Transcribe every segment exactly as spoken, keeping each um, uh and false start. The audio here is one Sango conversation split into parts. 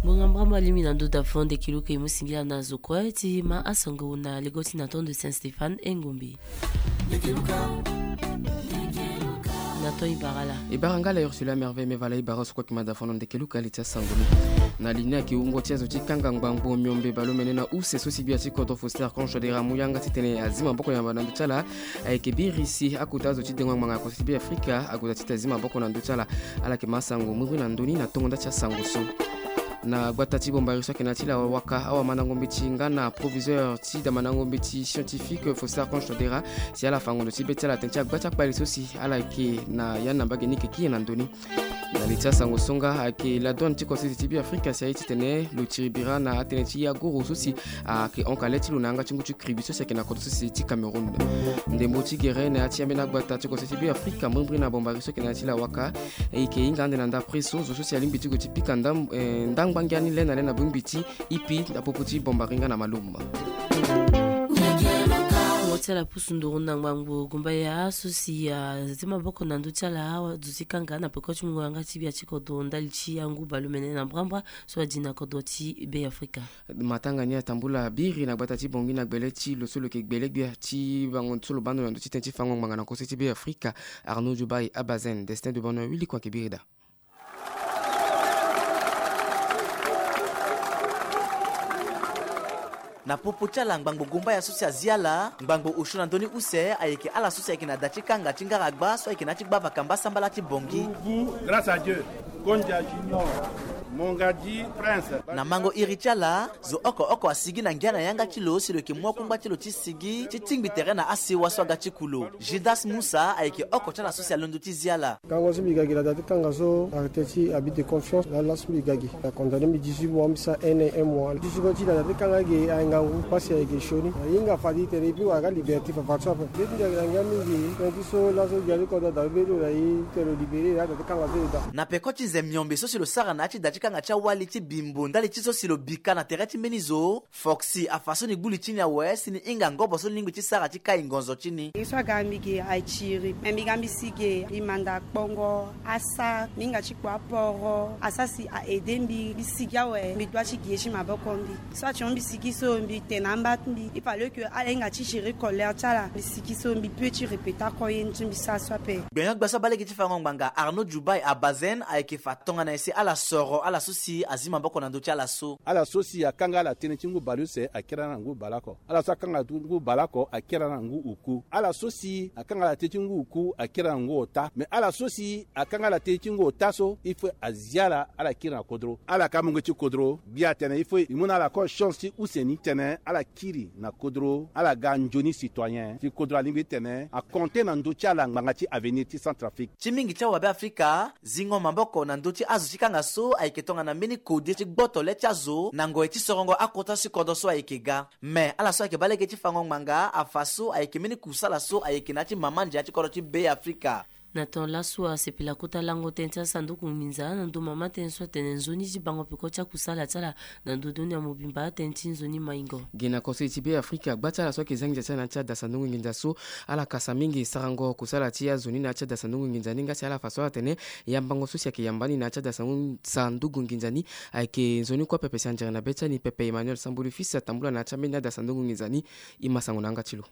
Ngbonga mbrambra alingbi na ndo da fo ndeke luka e mu singila na zo kue ti ma asango na lego ti na tondo Saint Stéphane e ngombe. Na ton e bara ala. E bara nga ala Ursula Merveille Mevala e bara so kue ki ma da fo na ndeke luka li ti asango ni. Na li ni ayeke wungo ti azo ti kanga ngbangbo miombe baleomene na use so si gbia ti kodro Faustin Archange Touadéra amu yanga titene azi maboko yamba na ndö ti ala. Ayeke biri si akota azo ti dengo ngbanga na konso ti Be Afrika ague daa titene azi maboko na ndö ti ala. Ala yeke ma asango mbrimbri na ndö ni na tongo nda ti asango so. Na gbata ti Bombari so ayeke na ya ti la waka, awamandango mbeti nga na proviseur ti damandango mbeti scientifique Faustin Archange Touadéra, si ala fa ngondo ti be ti ala tënë ti agba ti akpale so si ala yeke na ya ni na mbage ni yeke gi nyen na ndö ni. Na li ti asango so nga ayeke la douane ti konso ti Be Afrika si aye titene lo tiri bira na atënë ti agoro so si ayeke honka le ti lo na yanga ti ngu ti kribi so si ayeke na kodro so si ti Cameroun. Ndembo ti gere na ya ti ambeni agbata ti konso ti Be Afrika mbrimbri na Bombari so ayeke na ya ti la waka, e yeke hinga ande na ndapre so zo so si alingbi ti gue ti pika ndam-, eh, ndangba ngia ni le na le na bongbi ti ipi na popo ti Bombari nga na Malum. Ngo ti ala pusu nduru na ngbangbo gumbaya so si azi maboko na ndö ti ala awa zo ti kanga na peko ti mungo yanga ti gbia ti kodro ndali ti angu baleomene na mbrambra so adi na kodro ti Be Afrika. Matanga ni atambula biri na gbata ti Bangui na gbele ti lo so lo yeke gbele gbia ti bango so lo baa ndo na ndö ti tënë ti fango ngbanga na konso ti Be Afrika, Arnaud Djoubaye Abazen, Destin de Bonheur Willy Kouanke biri daa. Na popo ti ala ngbangbo gombaya so si azi ala, ngbangbo osio na ndö ni use ayeke ala so si ayeke na da ti kanga ti ngaragba so ayeke na ya ti gbavaka mbasambala ti Bangui. Grâce à Dieu, Kondia Junior, Mongadi Prince. Na mango iri ti ala, zo oko oko asigi na ngia na yanga ti lo si lo yeke mu akungba ti lo ti sigi ti tingbi tere na asewa so aga ti ku lo. Judas Musa ayeke oko ti ala so si alondo ti zi ala. Kango so mbi ga gi na da ti kanga so, arrêté ti abus de confiance, laa laso mbi ga gi. Acondamné mbi dix-huit mois, mbi sara un an un mois. Ti so ti na da ti kanga ge aye ngangu, pasi ayeke sioni. Ahinga fade tene e pi wara ga liberté fafa so ape. Nde ti mbi ayeke na ngia mingi, tënë ti so laso gi ali kodro da be ti lo na e tene lo libéré, na da ti kanga so e daa. Na peko ti nze miombe so si lo sara na ya ti da ti kanga ti awali ti bimbo ndali ti so si lo bika na tere ti mbeni zo, Foxy afa so ni gbu li ti ni awe si ni hinga ngobo so ni lingbi ti sara ti kai ngonzo ti ni. Ye so aga mbi ge aye tiri. Me mbi ga mbi si ge, mbi manda kpongo, asa, mbi hinga ti kpo aporo, asa si a aidé mbi, mbi sigi awe, mbi dua ti gi ye ti maboko mbi. So ati hon mbi sigi so, mbi tene amba ti mbi. Il fallait que ala hinga ti gérer colère ti ala. Mbi sigi so, mbi peut ti répéter oko ye ni ti mbi sara so ape. Gbenyo-gbia so abaa lege ti fango ngbanga Arnaud Djoubaye Abazen ayeke fa tongana nyen si ala soro ala so si azi maboko na ndö ti ala so. Ala so si akanga ala tënë ti ngu baleuse akiri ala na ngu baleoko. Ala so akanga ngu baleoko akiri ala na ngu oku. Ala so si akanga ala tënë ti ngu oku akiri ala na ngu ota. Me ala so si akanga ala tënë ti ngu ota so, il faut azi ala, ala kiri na kodro. Ala ka mungo ti kodro. Gbia atene il faut e mu na ala encore chance ti use ni titene ala kiri na kodro, ala ga nzoni citoyen ti kodro. Alingbi titene a compter na ndö ti ala ngbanga ti avenir ti Centrafrique. Ti mingi ti awabe Afrika, zingo maboko na ndö ti azo ti kanga so ayeke tongana mbeni kode ti gboto le ti azo na ngoi ti sorongo akota ti kodro so ayeke ga. Me ala so ayeke baa lege ti fango ngbanga afa so ayeke mbeni kusala so ayeke na ya ti mama ndia ti kodro ti Be Afrika. Na ton laso asepela kota lango tënë ti asanduku nginza na ndo mama tënë so atene nzoni ti bango peko ti akusala ti ala na ndo doni ya mobimba tënë ti nzoni maingo. Gi na konso ti Be Afrika, gba ti ala so ayeke za nginza ti ala na ya ti ada sanduku nginza so, ala kasa mingi sarango kusala ti azo ni na ya ti ada sanduku nginza ni nga si ala fa so atene yambango so si ayeke yamba ni na ya ti ada sanduku, sanduku nginza ni ayeke nzoni kue pepe si anzere na be ti ani pepe. Emmanuel Sambulu Fils atambula na ya ti ambeni ada sanduku nginza ni. E ma sango na yanga ti lo.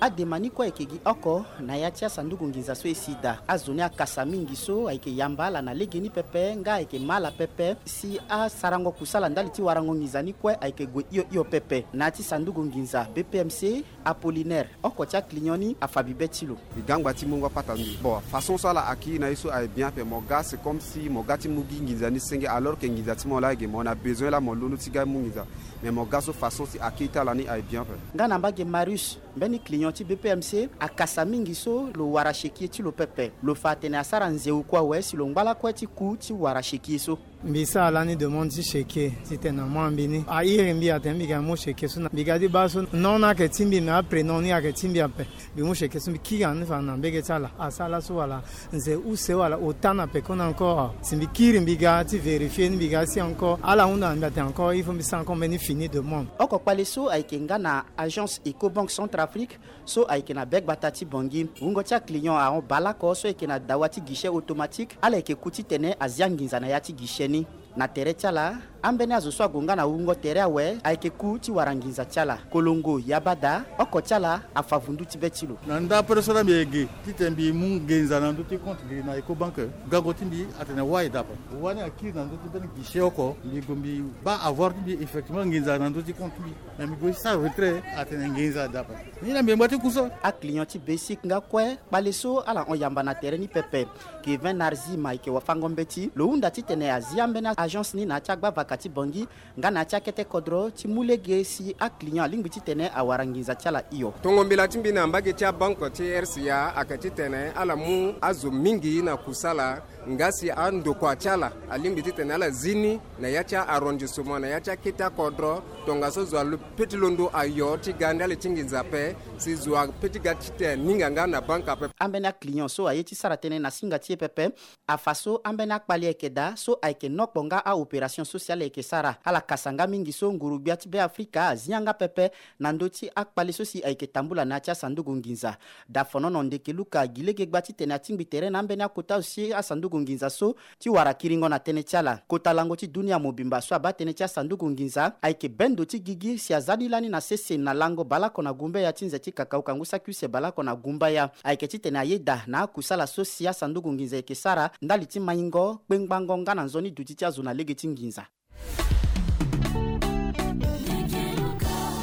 Adema ni kue ayeke gi oko na ya ti asanduku nginza so e si daa. Azo ni akasa mingi so ayeke yamba ala na legeni pepe nga ayeke ma ala pepe si asarango kusala ndali ti warango nginza ni kue ayeke gue hio hio pepe. Na ya ti sanduku nginza B P M C, Apollinaire, oko ti aclient ni, afa bibe ti lo. E ga angba ti mungo apata ni. Bon, façon so ala accueillir na e so aye bien ape. Mo ga, c'est comme si mo ga ti mu gi nginza ni senge, alors que nginza ti mo laa ayeke, mo na besoin laa mo londo ti ga mu nginza. Mais mo ga so façon ti accueil ti ala ni aye bien ape. Nga na mbage Marius, mbeni client ti B P M C, akasa mingi so lo wara chequier ti lo pepe. Lo fa atene asara nzeu kue awe si lo ngba lakue ti ku ti wara chequier so. Mbi sara lani demande ti chèque titene na mwa mbi ni airi mbi atene mbi ga mo chèque so na mbi ga ti baa so non ni ayeke ti mbi me aprénom ni ayeke ti mbi ape. Mbi mu chèque so mbi kiri na ni fa na mbege ti ala asara laso wala nze use wala ota na pekoni encore si mbi kiri mbi ga ti vérifier ni mbi ga si encore ala hunda na mbi atene encore il faut mbi sara encore mbeni fini demande. Oko kpale so ayeke nga na agence Ecobank Centrafrique so ayeke na be gbata ti Bangui. Wungo ti aclient ahon baleoko so ayeke na dawa ti guichet automatique ala yeke ku titene azi anginza na ya ti guichet ni. Na tere ti ala ambeni azo so ague nga na wungo tere awe ayeke ku ti wara nginza ti ala. Kolongo yaba daa oko ti ala afa vundu ti be ti lo. Na ndapere so laa mbi yeke titene mbi mu nginza na ndö ti compte mbi na Ecobank. Gango ti mbi atene wai dape wani akiri na ndö ti mbeni guichet oko mbi gue mbi baa avoir ti mbi effectivement nginza na ndö ti compte ti mbi. Na mbi gue ti sara retrait atene nginza dape. Ni na mbi ngba ti ku so. Aclient ti Basic nga kue kpale so ala hon yamba na tere ni pepe. Kevin Narzim ayeke wafango mbeti lo hunda titene azi ambeni agence ni na ya ti agbavaka ti Bangui nga na ya ti akete kodro ti mu lege si aclient alingbi titene awara nginza ti ala hio. Tongo mbela ti mbi na mbage ti abanke ti R C A ayeke titene ala mu azo mingi na kusala. Nga si andokua ti ala alingbi titene ala zi ni na ya ti a-arrondissement na ya ti akete akodro tongaso zo alu pe ti londo ayo ti ga ndali ti nginza ape. Si zo ape ti ga titene aninga nga na banke ape. Ambeni aclient so aye ti sara tënë na singa ti e pepe afa so ambeni akpale ayeke daa so ayeke nokpo nga a-opération sociale ayeke sara ala kasa nga mingi so nguru-gbia ti Beafrika azi yanga pepe na ndö ti akpale so si ayeke tambula na ya ti asanduku nginza. Dafonono ndeke luka gi lege gba titene atingbi tere na ambeni akota so si asanduku nginza so ti wara kiringo na tënë ti ala. Kota lango ti dunia mobimba so abaa tënë ti asanduku nginza ayeke bendo ti gigi si aza ni lani na sese na lango baleoko na gumbaya ti nze ti kakauka ngu saki use baleoko na gumbaya. Ayeke titene ayeda na akusala so si asanduku nginza ayeke sara ndali ti maingo kpengbango nga na nzoni duti ti azo na lege ti nginza.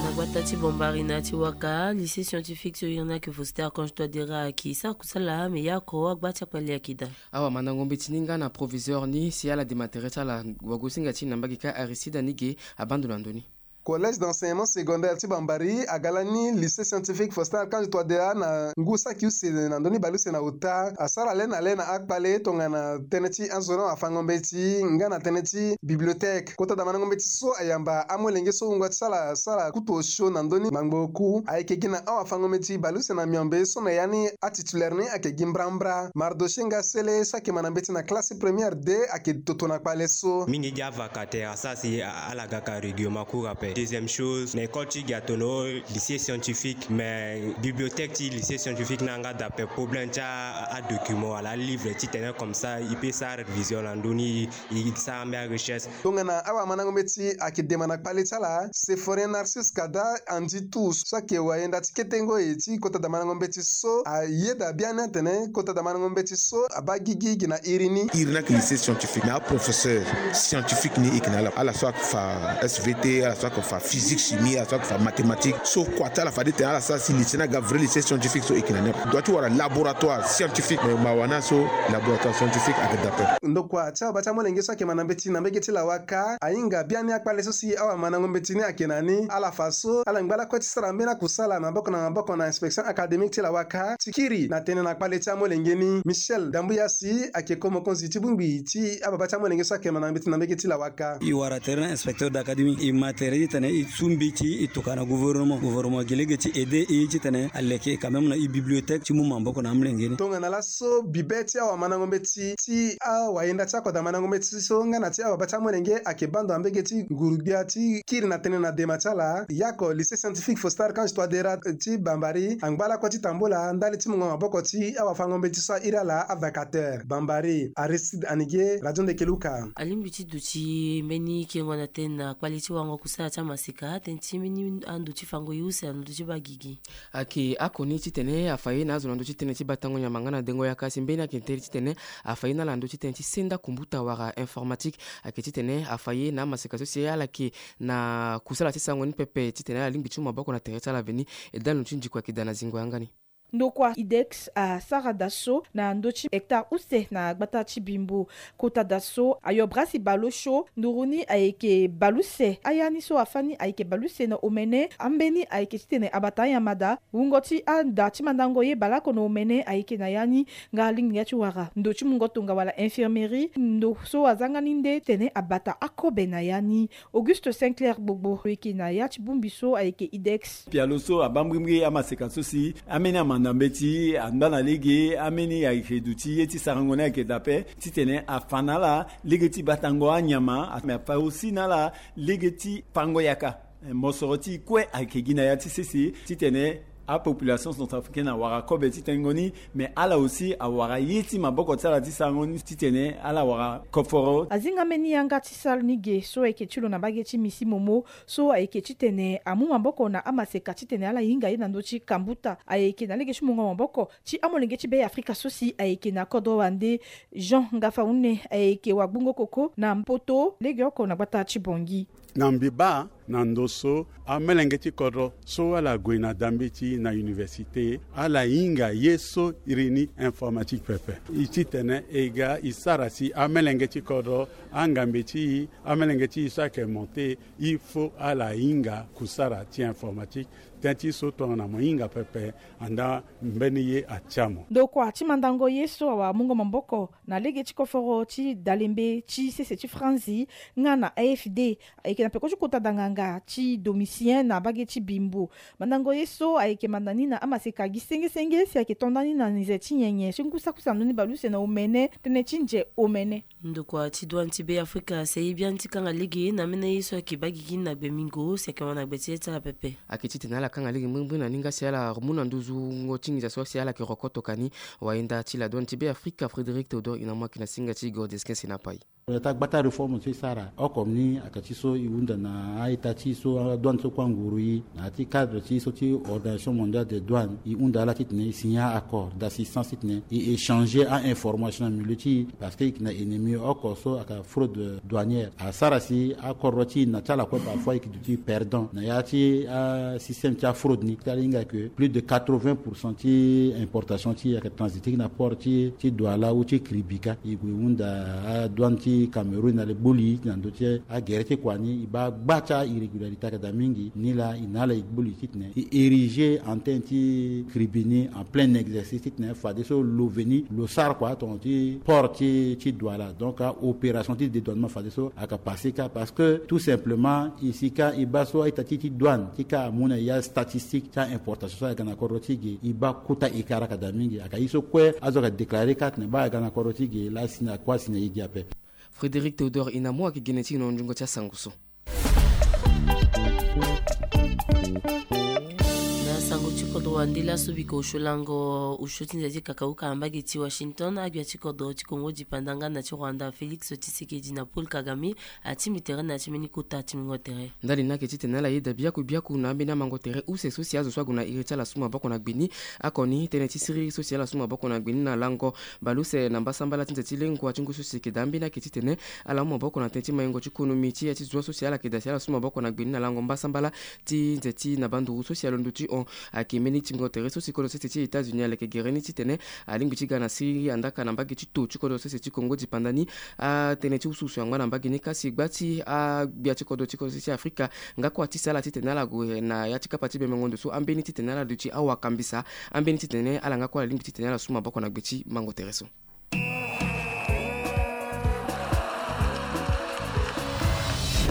Na gbata ti Bambari na ya ti Waka, lycée scientifique so iri ni ayeke Faustin Archange Touadéra ayeke sara kusala me ya oko agba ti akpale ayeke daa. Awamandango mbeti ni nga na proviseur ni si ala dema tere ti ala wagosinga ti na mbage ka Aristide Anige abaa ndo na ndö ni. Collège d'enseignement secondaire ti Bambari aga lani lycée scientifique Faustin Archange Touadéra na ngu saki use na ndö ni baleuse na ota asara le na le na akpale tongana tënë ti azo ni awafango mbeti nga na tënë ti bibliothèque. Kota damandango mbeti so ayamba amolenge so wungo ti sala sara kutu osio na ndö ni ngbangbo oku ayeke gi na awafango mbeti baleuse na miombe so na ya ni atitulaire ni ayeke gi mbrambra. Mardochée nga sele so ayeke ma na mbeti na classe première deux ayeke toto na kpale so. Mingi gi avaka tere asara si ala gaka règlement cours ape. Deuxième chose na école ti gi atono lycée scientifique mais bibliothèque ti lycée scientifique ni anga dape problème ti adocument wala alivre titene comme ça e peut sara révision na ndö ni e sara ambeni arecherche. Tongana awamandango mbeti ayeke dema na kpale ti ala Séphorin Narcisse Kada Andy Tous so ayeke wayenda ti kete ngoi ti kota damandango mbeti so ayeda biani atene kota damandango mbeti so abaa gigi gi na iri ni. Iri ni ayeke lycée scientifique na aprofesseur scientifique ni e yeke na ala ala so ayeke fa S V T ala so ayeke fa physique chimie ala so ayeke fa mathématique so kua ti ala fade tene ala sara si lycée ni aga vrai lycée scientifique so e yeke na ni ape. Dua ti wara laboratoire scientifique me mawa ni aso laboratoire scientifique ayeke dape. Ndokua ti ababa ti amolenge so ayeke ma na mbeti na mbege ti lawaka ahinga biani akpale so si awamandango mbeti ni ayeke na ni ala fa so ala ngba lakue ti sara mbeni akusala maboko na maboko na inspection académique ti lawaka ti kiri na tënë na kpale ti amolenge ni. Michel Dambuya si ayeke ko mokonzi ti bongbi ti ababa ti amolenge so ayeke ma na mbeti na mbege ti lawaka. E wara tere na inspecteur d'académie e ma tere titene e su mbeti e tokua na gouvernement gouvernement gi lege ti aide e titene aleke quand même na e bibliothèque ti mu maboko na amolenge ni. Tongana laso bibe ti awamandango mbeti ti awayenda ti akoda mandango mbeti so nga na ti ababa ti amolenge ayeke baa ndo na mbege ti nguru-gbia ti kiri na tënë na dema ti ala. Yako lycée scientifique Faustin Archange Touadéra ti Bambari angba lakue ti tambula ndali ti mungo maboko ti awafango mbeti so airi ala avacateur. Bambari, Aristide Anige, Radio Ndeke Luka. Alingbi ti duti mbeni kengo na tënë na kpale ti wango kusala ti amaseka tënë ti mbeni ando ti fango e use na ndo ti baa gigi. Ayeke oko ni titene afa ye na azo na ndö ti tënë ti batango nyama nga na dengo yaka si mbeni ayeke tere titene afa ye na ala na ndö ti tënë ti senda kombuta wala informatique. Ayeke titene afa ye na amaseka so si ala yeke na kusala ti sango ni pepe titene ala lingbi ti mu maboko na tere ti ala veni. E dali lo ti ndiko ayeke daa na zingo yanga ni. Ndokua IDEX asara da so na ndö ti hectare use na gbata ti Bimbo. Kota da so ayo brasi baleosio nduru ni ayeke baleuse. Aya ni so afâ ni ayeke baleuse na omene. Ambeni ayeke titene abata anyama da. Wungo ti ada ti mandango ye baleoko na omene ayeke na ya ni. Nga alingbi nga ti wara ndö ti mungo tonga wala infirmerie, ndo so azanga ni nde tene abata akobe na ya ni. Auguste Sinclair Gbogbo lo yeke na ya ti bongbi so ayeke IDEX. Pialo so abaa mbrimbri amaseka so si ambeni amanda mbeti, anda na lege, ambeni ayeke duti ye ti sarango ni ayeke daa ape, titene afa na ala lege ti batango anyama, me afa aussi na ala lege ti pango yaka. Eh, mosoro ti kue ayeke gi na ya ti sese titene apopulation centrafricaine awara kobe ti tengo ni, me ala aussi awara ye ti maboko ti ala ti sarango ni titene ala wara koforo. Azinga mbeni yanga ti salle ni ge so ayeke ti lo na mbage ti Misi Momo, so ayeke titene amu maboko na amaseka titene ala hinga ye na ndö ti kambuta. Ayeke na lege ti mungo maboko ti amolenge ti Be Afrika so si ayeke na kodro wande. Jean Ngafaune ayeke wagbungo koko na Mpoto legeoko na gbata ti Bangui. Na mbi baa na ndo so amelenge ti kodro so ala gue na da mbeti na université, ala hinga ye so iri ni informatique pepe. E titene e ga e sara si amelenge ti kodro, angambe ti e, amelenge ti e so ayeke monté, il faut ala hinga kusara ti informatique. Tënë ti so tongana mo hinga pepe, anda mbeni ye atia mo. Ndokua ti mandango ye so awamungo maboko na lege ti koforo ti dalembe ti sese ti Franzi nga na A F D, ayeke na peko ti kota da nganga ti Domitien na mbage ti Bimbo. Mandango ye so ayeke manda ni na amaseka gi senge senge si ayeke to nda ni na nze ti nyenye ti ngu saki use na ndö ni baleuse na omene, tënë ti nze omene. Ndokua ti douane ti Be Afrika si aye biani ti kanga lege na ambeni aye so ayeke baa gigi ni na gbe mingo si ayeke wara na gbe ti ye ti ala pepe. Ayeke titene ala kanga lege mbrimbri na ni nga si ala mu na nduzu wungo ti nginza so si ala yeke roko tokani. Wayenda ti la douane ti Be Afrika Frédéric Théodore Inamu ayeke na singa ti Gordesquin Senapai. Ita gbata réforme so e sara oko ni ayeke ti so e hunda na a-ita ti e so adouane so kue anguru e na ya ti cadre ti e so ti Organisation Mondiale des Douanes, e hunda ala titene e signer accord d'assistance titene e échanger a-information na milieu ti e, parce que e yeke na ennemi oko so ayeke fraude douanière. Asara si akodro ti e na ti ala kue parfois e yeke duti perdant na ya ti asystème ti afraude ni. Ti ala hinga ke plus de quatre-vingts pour cent ti importation ti e ayeke transiter na port ti, ti Douala ou ti Kribika. E gue hunda adouane ti Cameroun na le boli na ndö ti agere ti kua ni, e baa gba ti airrégularité ayeke daa mingi. Ni laa e na ala e boli titene e ériger antenne ti Kribi ni en plein exercice titene fadeso lo veni lo sara kua tongana ti port ti, ti Douala. Donc aopération ti dédouanement fadeso ayeke passé kâ, parce que tout simplement e si kâ e baa so a-ita ti e ti douane ti kâ amu na ya statistique ti a-importation so ayeke na kodro ti e ge, e baa kota e kara ayeke daa mingi. Ayeke ye so kue azo ayeke déclarer kâ atene baa ayeke na kodro ti e ge laa asi na kue asi na e ge ape. Frédéric Théodore Inamu ayeke gene ti e na nzungo ti asango so. Na sango ti kodro wande laso biko osio lango osio ti nze ti kakauka na mbage ti Washington, agbia ti kodro ti Kongo dipanda nga na ti Rwanda Félix Tshisekedi na Paul Kagame atingbi tere na ya ti mbeni kota ti mungo tere. Ndali ni ayeke titene ala yeda biaku biaku na ambeni amango tere use so si azo so ague na iri ti ala su maboko na gbe ni. Oko ni tënë ti siriri so si ala su maboko na gbe ni na lango baleuse na mbasambala ti nze ti lengua ti ngu so si ayeke daa mbeni ayeke titene ala mu maboko na tënë ti maingo ti konomi ti ya ti zua so si ala yeke daa si ala su maboko na gbe ni na lango mbasambala ti nze ti na banduru so si alondo ti hon. Ayeke mbeni tingo tere so si kodro sese ti États-Unis ala yeke gere ni titene alingbi ti ga na siriri andaka na mbage ti to ti kodro sese ti Kongo dipanda ni. Atënë ti usuusu angba na mbage ni kasi gba ti agbia ti kodro ti kodro sese ti Afrika nga kue atisa ala titene ala gue na ya ti kapa ti bemengo ndo so ambeni titene ala duti awakambisa, ambeni titene ala nga kue ala lingbi titene ala su maboko na gbe ti mango tere so.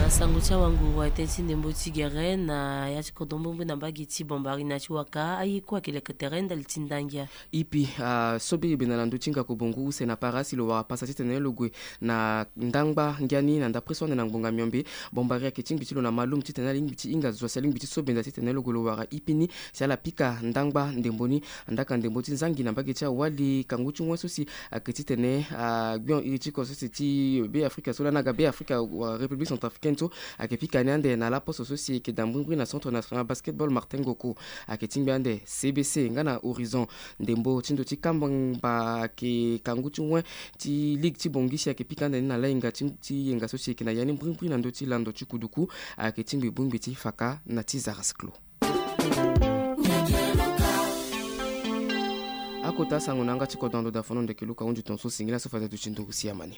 Na sango ti awanguru atene ti ndembo ti gere na ya ti kodro mbrimbri na mbage ti Bambari na ti Waka, aye kue ayeke leke tere ndali ti ndangia. Ipi, ah, so biri bena na ndö ti ngako bongo use na para si lo wara pasa titene lo gue na ndangba ngia ni na ndapre so ande na ngbonga miombe. Bambari ayeke tingbi ti lo na malum titene alingbi ti hinga zo si alingbi ti so benda titene lo gue lo wara ipi ni si ala pika ndangba ndembo ni. Andaka ndembo ti nzangi na mbage ti awali kangu ti wen so si ayeke titene, ah, gbio iri ti ko so si ti Be Afrika so lani aga Be Afrika wala République Centrafricaine so ayeke pika ni ande na laposo so si ayeke daa mbrimbri na Centre National Basketball Martin Ngoko. Ayeke tingbi ande C B C nga na Horizon. Ndembo ti ndo ti kamba ayeke kangu ti wen ti ligue ti Bangui si ayeke pika ande ni na lahinga ti, ti yenga so si ayeke na ya ni mbrimbri na ndö ti lando ti kuduku. Ayeke tingbi bongbi ti faka na ti zara siklo. Kota sango na yanga ti kodro na ndo da fono ndeke luka hunzi tongaso singila so fade duti nduru siamani.